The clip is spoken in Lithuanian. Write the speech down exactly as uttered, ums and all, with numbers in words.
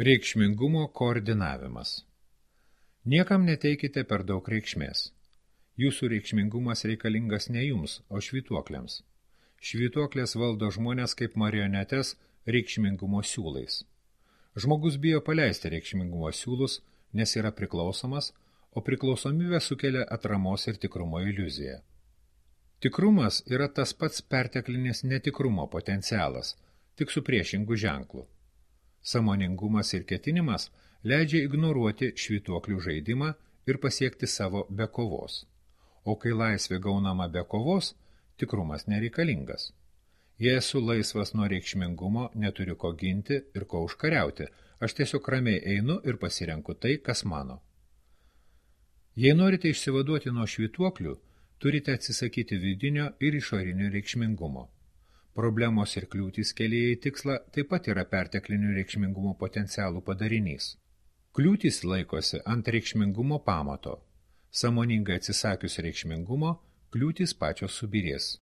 Reikšmingumo koordinavimas. Niekam neteikite per daug reikšmės. Jūsų reikšmingumas reikalingas ne jums, o švytuokliams. Švytuoklės valdo žmonės kaip marionetes reikšmingumo siūlais. Žmogus bijo paleisti reikšmingumo siūlus, nes yra priklausomas, o priklausomybė sukelia atramos ir tikrumo iliuziją. Tikrumas yra tas pats perteklinis netikrumo potencialas, tik su priešingu ženklu. Sąmoningumas ir ketinimas leidžia ignoruoti švytuoklių žaidimą ir pasiekti savo be kovos. O kai laisvė gaunama be kovos, tikrumas nereikalingas. Jei esu laisvas nuo reikšmingumo, neturiu ko ginti ir ko užkariauti, aš tiesiog ramiai einu ir pasirenku tai, kas mano. Jei norite išsivaduoti nuo švytuoklių, turite atsisakyti vidinio ir išorinio reikšmingumo. Problemos ir kliūtys kelyje į tikslą taip pat yra perteklinių reikšmingumo potencialų padarinys. Kliūtys laikosi ant reikšmingumo pamato. Sąmoningai atsisakius reikšmingumo, kliūtys pačios subyrės.